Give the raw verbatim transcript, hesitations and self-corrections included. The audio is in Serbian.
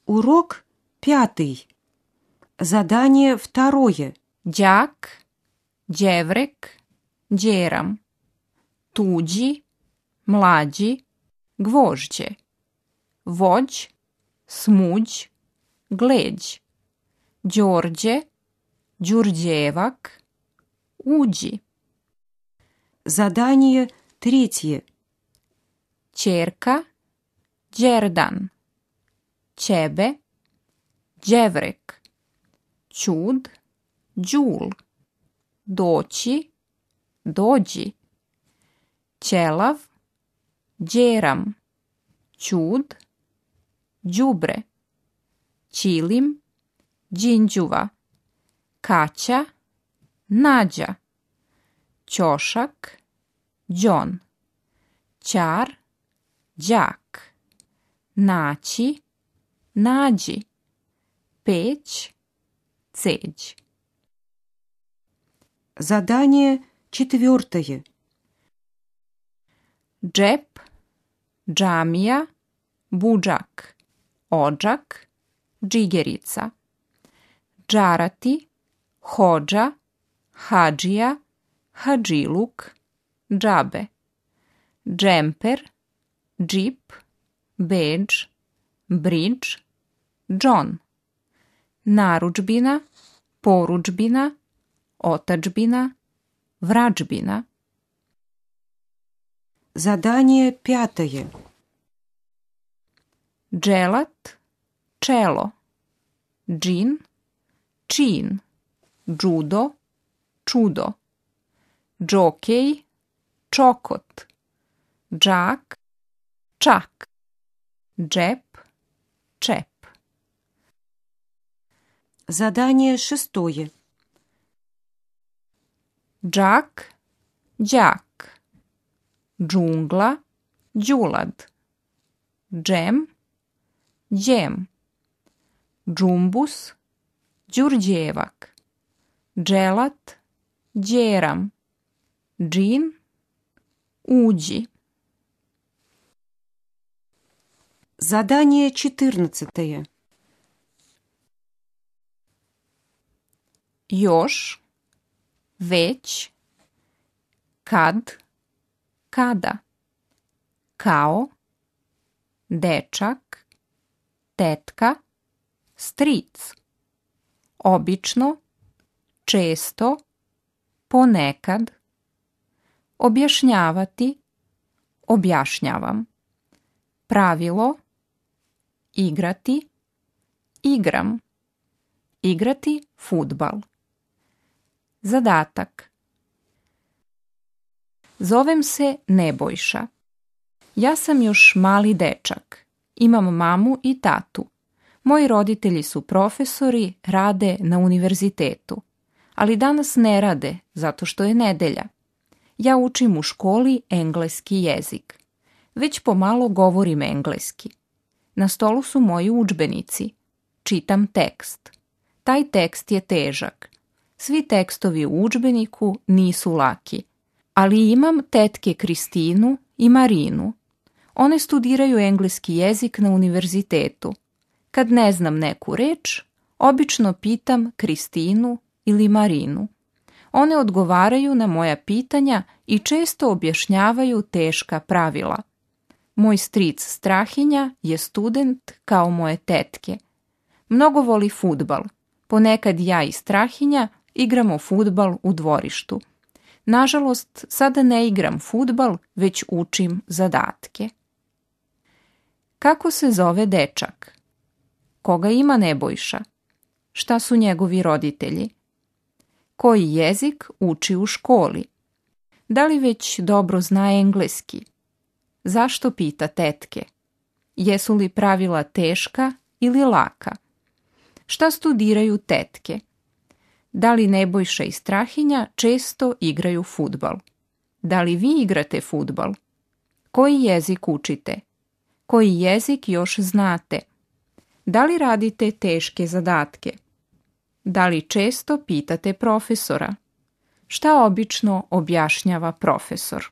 Урок пятый. Задание второе. Đak, đevrek, đeram. Tuđi, mlađi, gvožđe. Vođ, smuđ, gleđ. Đorđe, đurđevak, uđi. Задание третье. Ćerka, đerdan. Ćebe, đevrek. Ćud, đul. Doći, dođi. Ćelav, đeram. Ćud, đubre. Ćilim, đinđuva. Kaća, nađa. Ćošak, đon. Ćar, đak. Naći, nađi. Peć, ceđ. Задание четвертое. Džep, džamija, budžak. Odžak, džigerica. Džarati, hodža, hadžija, hadžiluk, džabe. Džemper, džip, bedž, bridž, džon. Narudžbina, porudžbina, otadžbina, vrađbina. Задание пятое. Dželat, čelo. Džin, čin. Džudo, čudo. Džokej, čokot. Džak, čak. Džep, čep. Задание шестое. Džak, đak. Džungla, đulad. Džem, đem. Džumbus, đurđevak. Dželat, đeram. Džin, uđi. Задание четырнадцатое. Još, već, kad, kada. Kao, dečak, tetka, stric. Obično, često, ponekad. Objašnjavati, objašnjavam. Pravilo, igrati, igram. Igrati fudbal. Zadatak. Zovem se Nebojša. Ja sam još mali dečak. Imam mamu i tatu. Moji roditelji su profesori, rade na univerzitetu. Ali danas ne rade, zato što je nedelja. Ja učim u školi engleski jezik. Već pomalo govorim engleski. Na stolu su moji udžbenici. Čitam tekst. Taj tekst je težak. Svi tekstovi u udžbeniku nisu laki. Ali imam tetke Kristinu i Marinu. One studiraju engleski jezik na univerzitetu. Kad ne znam neku reč, obično pitam Kristinu ili Marinu. One odgovaraju na moja pitanja i često objašnjavaju teška pravila. Moj stric Strahinja je student kao moje tetke. Mnogo voli fudbal. Ponekad ja i Strahinja igramo fudbal u dvorištu. Nažalost, sada ne igram fudbal, već učim zadatke. Kako se zove dečak? Koga ima Nebojša? Šta su njegovi roditelji? Koji jezik uči u školi? Da li već dobro zna engleski? Zašto pita tetke? Jesu li pravila teška ili laka? Šta studiraju tetke? Da li Nebojša i Strahinja često igraju fudbal? Da li vi igrate fudbal? Koji jezik učite? Koji jezik još znate? Da li radite teške zadatke? Da li često pitate profesora? Šta obično objašnjava profesor?